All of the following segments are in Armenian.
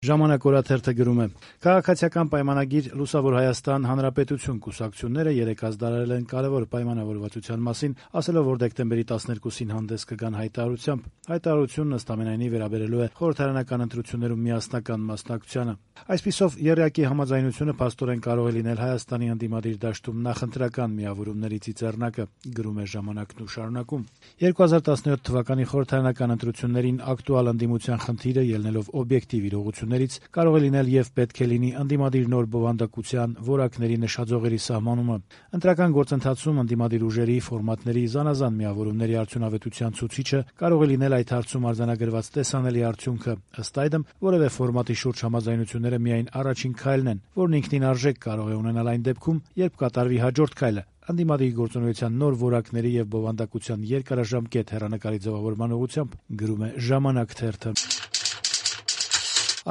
Ժամանակ օրաթերթը գրում է. «Քաղաքացիական պայմանագիր Լուսավոր Հայաստան Հանրապետություն կուսակցությունները երեկ հայտարարել են կարևոր պայմանավորվածության մասին, ասելով, որ դեկտեմբերի 12-ին հանդես կգան հայտարարությամբ։ Հայտարարությունն ըստ ամենայնի վերաբերելու է խորհրդարանական ընտրություններում միասնական մասնակցությանը։ Այսպիսով, եռյակի համաձայնությունը փաստորեն կարող է լինել Հայաստանի ընդդիմադիր դաշտում նախընտրական միավորումների ծիծեռնակը», գրում է Ժամանակն ու շարունակում. 2017 թվականի խորհրդարանական ընտրություններին ակտուալ ընդդիմության խնդիրը ելնելով օբյեկտիվ իրողություններից կարող է լինել եւ պետք է լինի ընդդիմադիր նոր բովանդակության որակների նշաձողերի սահմանումը։ Ընտրական գործընթացում ընդդիմադիր ուժերի ֆորմատների զանազան միավորումների արդյունավետության ցուցիչը կարող է լինել այդ հարցում արձանագրված տեսանելի արդյունքը։ Ըստ այդմ, որևէ ֆորմատի շուրջ համաձայնությունները միայն առաջին քայլն են, որն ինքնին արժեք կարող է ունենալ այն դեպքում, երբ կատարվի հաջորդ քայլը՝ ընդդիմադիր գործունեության նոր որակների եւ բովանդակության երկարաժամկետ հեռանկարի ձևավորման ուղղությամբ, գրում է Ժամանակ թերթը։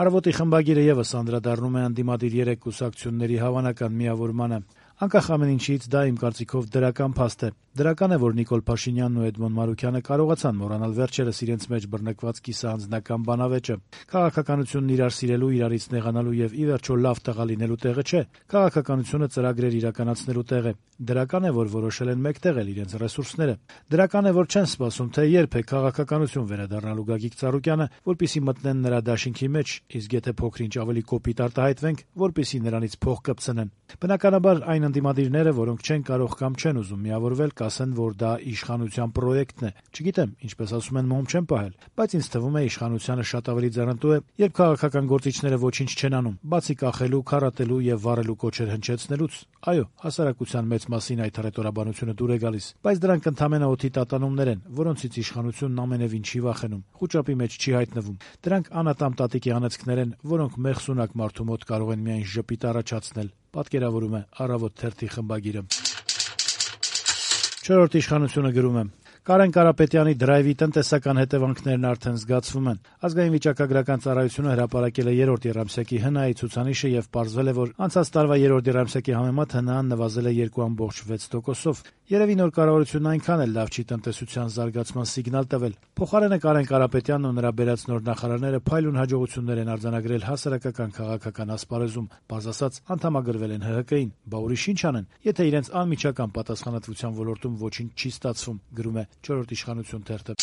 Առավոտի խմբագիրը եւս անդրադառնում է ընդդիմադիր 3 կուսակցությունների հավանական միավորմանը։ Անկախ ամեն ինչից, դա իմ կարծիքով դրական փաստ է։ Դրական է, որ Նիկոլ Փաշինյանն ու Էդմոն Մարուքյանը կարողացան մոռանալ վերջերս իրենց մեջ բռնկված կիսաանձնական բանավեճը։ Քաղաքականությունն իրար սիրելու, իրարից նեղանալու եւ ի վերջո լավ տղա լինելու տեղը չէ։ Քաղաքականությունը ծրագրեր իրականացնելու տեղ է։ Դրական է, որ որոշել են մեկտեղել իրենց ռեսուրսները։ Դրական է, որ չեն սպասում, թե երբ է քաղաքականություն վերադառնալու Գագիկ Ծառուկյանը, որպեսզի մտնեն նրա դաշինքի մեջ, իսկ եթե փոքր-ինչ ավելի կոպիտ արտահայտվենք, որպեսզի նրանից փող կպցնեն։ Բնականաբար այն ընդդիմադիրները, որոնք չեն կարող կամ չեն ուզում միավորվել, կասեն, որ դա իշխանության պրոյեկտն է։ Չգիտեմ, ինչպես ասում են, մոմ չեն պահել, բայց ինձ թվում է իշխանությանը շատ ավելի ձեռնտու է, երբ քաղաքական գործիչները ոչինչ չեն անում, բացի կախելու, քառատելու եւ վառելու կոչեր հնչեցնելուց։ Այո, հասարակության մեծ մասին այդ հռետորաբանությունը դուր է գալիս, բայց դրանք ընդամենը օդի տատանումներ են, որոնցից իշխանությունն ամենևին չի վախենում, խուճապի մեջ չի հայտնվում։ Դրանք անատամ տատիկի անեծքներ են, որոնք մեղսունակ մարդու մոտ կարող են միայն ժպիտ առաջացնել, պատկերավորում է Առավոտ թերթի խմբագիրը։ Չորրորդ իշխանությունը գրում է. Կարեն Կարապետյանի դրայվի տնտեսական հետևանքներն արդեն զգացվում են։ Ազգային վիճակագրական ծառայությունը հրապարակել է 3-րդ եռամսյակի ՀՆԱ-ի ցուցանիշը եւ պարզվել է, որ անցած տարվա 3-րդ եռամսյակի համեմատ ՀՆԱ-ն նվազել է 2.6%-ով։ Երևի նոր կառավարությունն այնքան էլ լավ չի տնտեսության զարգացման սիգնալ տվել։ Փոխարենը Կարեն Կարապետյանն ու նրա բերած նոր նախարարները փայլուն հաջողություններ են արձանագրել հասարակական քաղաքական ասպարեզում, պարզ ասած, անդամագրվել են ՀՀԿ-ին։ Բա ուրիշ ինչ անեն, եթե իրենց անմիջական պատասխանատվության ոլորտում ոչինչ չի ստացվում, գրում է Չորրորդ իշխանություն թերթը։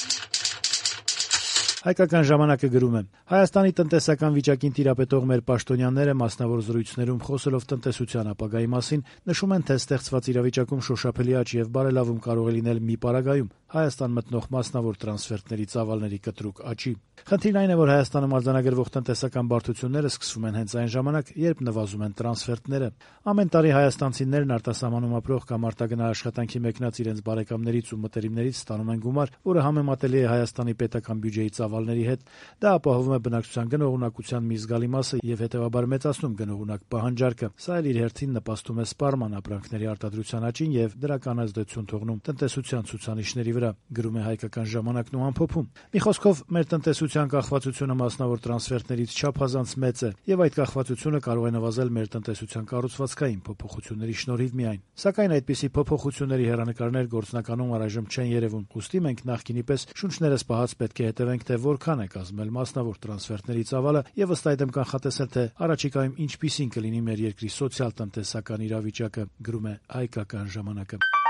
Հայկական ժամանակը գրում է. Հայաստանի տնտեսական վիճակին տիրապետող մեր պաշտոնյաները մասնավոր զրույցներում խոսելով տնտեսության ապագայի մասին նշում են, թե ստեղծված իրավիճակում շոշափելի աճ եւ բարելավում կարող է լինել մի պարագայում Հայաստան մտնող մասնավոր տրանսֆերտների ծավալների կտրուկ աճի։ Խնդիրն այն է, որ Հայաստանում արձանագրվող տնտեսական բարդությունները սկսվում են հենց այն ժամանակ, երբ նվազում են տրանսֆերտները։ Ամեն տարի հայաստանցիներն արտասահմանում ապրող կամ արտագնա աշխատանքի մեկնած իրենց բարեկամներից ու մտերիմներից ստանում են գումար, որը համեմատելի է Հայաստանի պետական բյուջեի ծավալների հետ։ Դա ապահովում է բնակչության գնողունակության մի զգալի մասը եւ հետեւաբար մեծացնում գնողունակ պահանջարկը։ Սա էլ իր հերթին նպաստում է սպառման ապրանքների արտադրության աճին եւ դրական ազդեցություն թողնում տնտեսության ցուցանիշների վրա, գրում է Հայկական ժամանակն ու ամփոփում։ Մի խոսքով, մեր տնտեսության կախվածությունը մասնավոր տրանսֆերտներից չափազանց մեծ է եւ այդ կախվածությունը կարող է նվազել մեր տնտեսության կառուցվածքային փոփոխությունների շնորհիվ միայն։ Սակայն այդպիսի փոփոխությունների հեռանկարներ գործնականում առայժմ չեն երևում։ Ուստի մենք նախկինի պես շունչներս պահած պետք է հետևենք, թե որքան է կազմել մասնավոր տրանսֆերտների ծավալը եւ ըստ այդմ կանխատեսել, թե առաջիկայում ինչպիսին կլինի մեր երկրի սոցիալ-տնտեսական իրավիճակը, գրում է Հայկական ժամանակը։